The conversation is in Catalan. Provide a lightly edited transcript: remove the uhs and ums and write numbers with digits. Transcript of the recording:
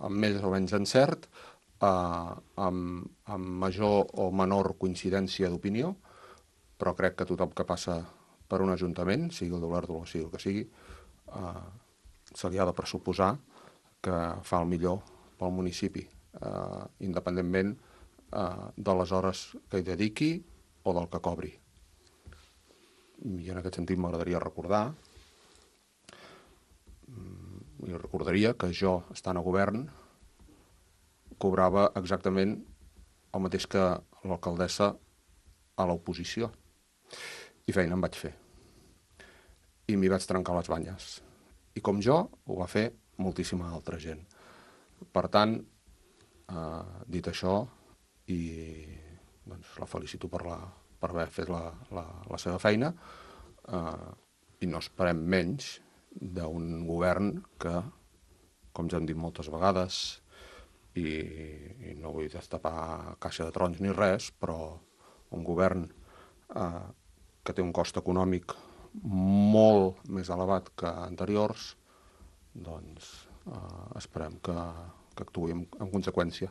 amb més o menys encert, amb major o menor coincidència d'opinió, però crec que tothom que passa per un ajuntament, sigui el d'Olèrdola o sigui el que sigui, se li ha de pressuposar que fa el millor pel municipi, independentment de les hores que hi dediqui o del que cobri. I en aquest sentit m'agradaria recordaria que jo, estant a govern, cobrava exactament el mateix que l'alcaldessa a l'oposició. I feina em vaig fer. I m'hi vaig trencar les banyes. I com jo, ho va fer moltíssima altra gent. Per tant, dit això, i doncs, la felicito per haver fet la seva feina, i no esperem menys d'un govern que, com ja hem dit moltes vegades, i no vull destapar caixa de trons ni res, però un govern que té un cost econòmic molt més elevat que anteriors, doncs esperem que actuï en conseqüència.